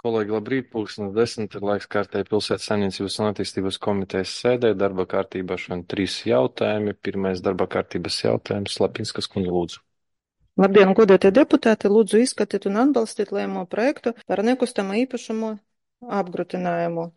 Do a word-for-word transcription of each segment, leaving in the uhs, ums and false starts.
Kolēģi, labrīt, pulkstenis desmit ir laiks kārtēji pilsētas saimniecības un attīstības komitejas sēdē. Darba kārtībā šodien trīs jautājumi. Pirmais darba kārtības jautājums. Lapinskas kundze, lūdzu. Labdien, godātie deputāti! Lūdzu izskatīt un atbalstīt lēmumu projektu par nekustamo īpašumu apgrūtinājumu.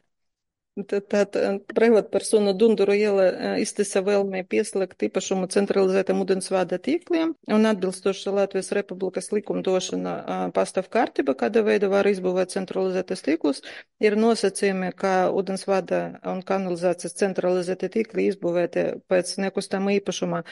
Tātad privātpersona Dunduru iela iztisa vēlmē pieslēgt īpašumu centralizētam ūdensvada tīkliem un atbilstoši Latvijas Republikas likumdošana pastāv kārtība, kāda veida var izbūvēt centralizētas tīklus, ir nosacījumi, ka ūdensvada un kanalizācijas centralizēti tīkli izbūvēti pēc nekustama īpašuma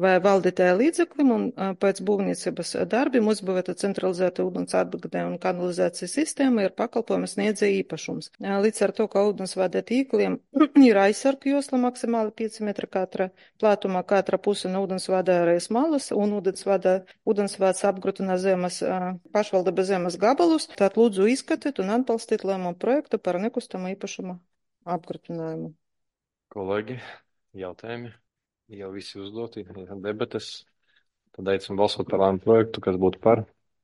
vai valdītāja līdzeklim un pēc būvniecības darbiem uzbūvēta centralizēta ūdens atbildē un kanalizācijas sistēma ir pakalpojumu sniedzēja īpašums. Līdz ar to, ka ūdensvada tīkliem ir aizsargu josla maksimāli pieci metri katra plātumā, katra puse no ūdensvada arī malas un ūdensvada, ūdensvads apgrūtina zemes, pašvaldības zemes gabalus, tad lūdzu izskatīt un atbalstīt lēmumu projektu par nekustamo īpašumu apgrūtinājumu. Kolēģi, jautājumi? Jau visi uzdoti, debates. Tad aicinu balsot par lēmumu projektu, kas būtu par.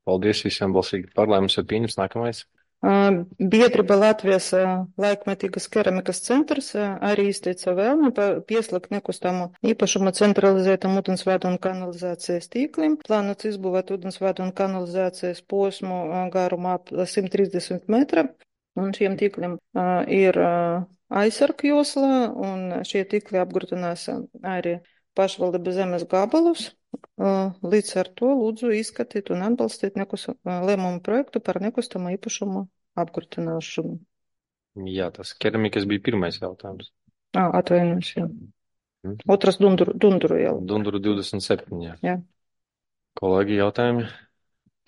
Paldies visiem balsīgi par. Lēmums ir pieņems. Nākamais. Biedrība Latvijas laikmetīgas keramikas centrs arī izteica vēlmi pieslēgt nekustamo īpašumu centralizētam ūdensvadu un kanalizācijas tīkliem. Plānots izbūvēt ūdensvadu un kanalizācijas posmu garumu ap simt trīsdesmit metra. Un šiem tīkliem ir aizsargu josla, un šie tīkli apgrūtinās arī pašvaldības zemes gabalus. Līdz ar to lūdzu izskatīt un atbalstīt nekus, lēmumu projektu par nekustamo īpašumu apgrūtināšanu. Jā, tas keramikas bija pirmais jautājums. Ā, atvainojos, jā. Hmm. Otras Dunduru, Dunduru iela. Dunduru divdesmit septiņi, jā. Jā. Kolēģi, jautājumi?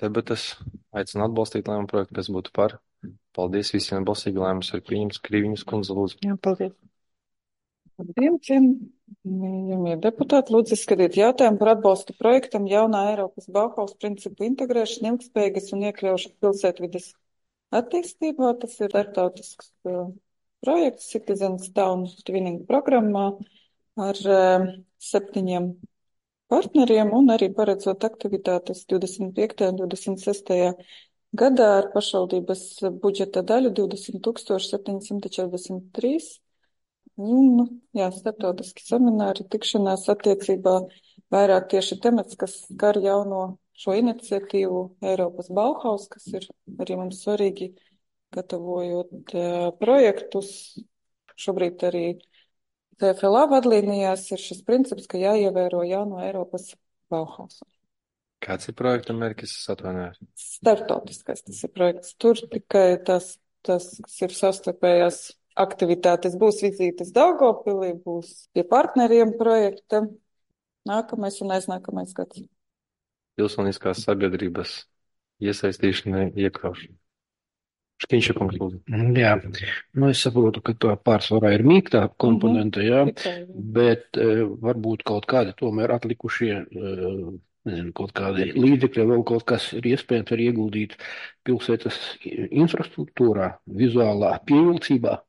Debates. Aicinu atbalstīt lēmumu projektu, kas būtu par. Paldies visiem balsīgi, lēmums ir pieņems. Krīviņas kundze, lūdzu. Jā, paldies. Labdien, cienījamie deputāti, lūdzu izskatīt jautājumu par atbalstu projektam jaunā Eiropas Bauhaus principu integrēšana, ilgspējīgas un iekļaušana pilsētvides attīstībā. Tas ir starptautisks uh, projekts Citizens Town Twinning programmā ar uh, septiņiem partneriem un arī paredzot aktivitātes divdesmit piektajā un divdesmit sestajā gadā ar pašvaldības budžeta daļu divdesmit tūkstoši septiņi simti četrdesmit trīs. Un, jā, starptautiski semināri, tikšanās attiecībā vairāk tieši temats, kas skar jauno šo iniciatīvu Eiropas Bauhaus, kas ir arī mums svarīgi gatavojot uh, projektus. Šobrīd arī C F L A vadlīnijās ir šis princips, ka jāievēro jauno Eiropas Bauhausu. Kāds ir projekta mērķis? Es atvainojos. Starptautiskais tas ir projekts. Tur tikai tas, tas kas ir savstarpējās aktivitātes. Būs vizītes Daugavpilī, būs pie partneriem projekta. Nākamais un aiznākamais gads. Pilsoniskās sabiedrības iesaistīšana, iekļaušana. Škiņša kungs, lūdzu. Jā, nu es saprotu, ka to pārsvarā ir mīktā komponente, jā, bet uh, varbūt kaut kādi tomēr atlikušie uh, nezinu, kaut kādi līdzekļi, vēl kaut kas ir iespējams var ieguldīt pilsētas infrastruktūrā, vizuālā pievilcībā.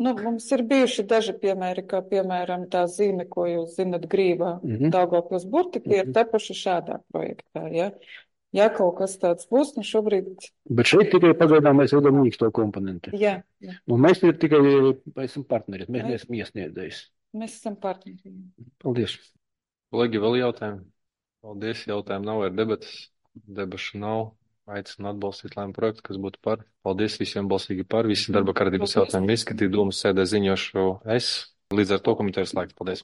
Nu, mums ir bijuši daži piemēri, kā piemēram tā zīme, ko jūs zinat Grīvā, mm-hmm. Daugavpils burti, tie mm-hmm. ir tapuši šādā projektā, ja. Ja kaut kas tāds būs, nu šobrīd... Bet šeit tikai pagaidām mēs redzam mīksto komponenti. Jā. jā. Un mēs ir tikai esam partneri, mēs neesam iesniedzējis. Mēs esam partneri. Paldies. Kolēģi, vēl jautājumi? Paldies, jautājumu nav, ir debatas. Debašu nav. Aicinu atbalstīt lēmumu projektu, kas būtu par. Paldies visiem balsīgi par. Visi darba kārtības jautājumi izskatīt, domas sēdē ziņošu es. Līdz ar to komitejas slēgt. Paldies.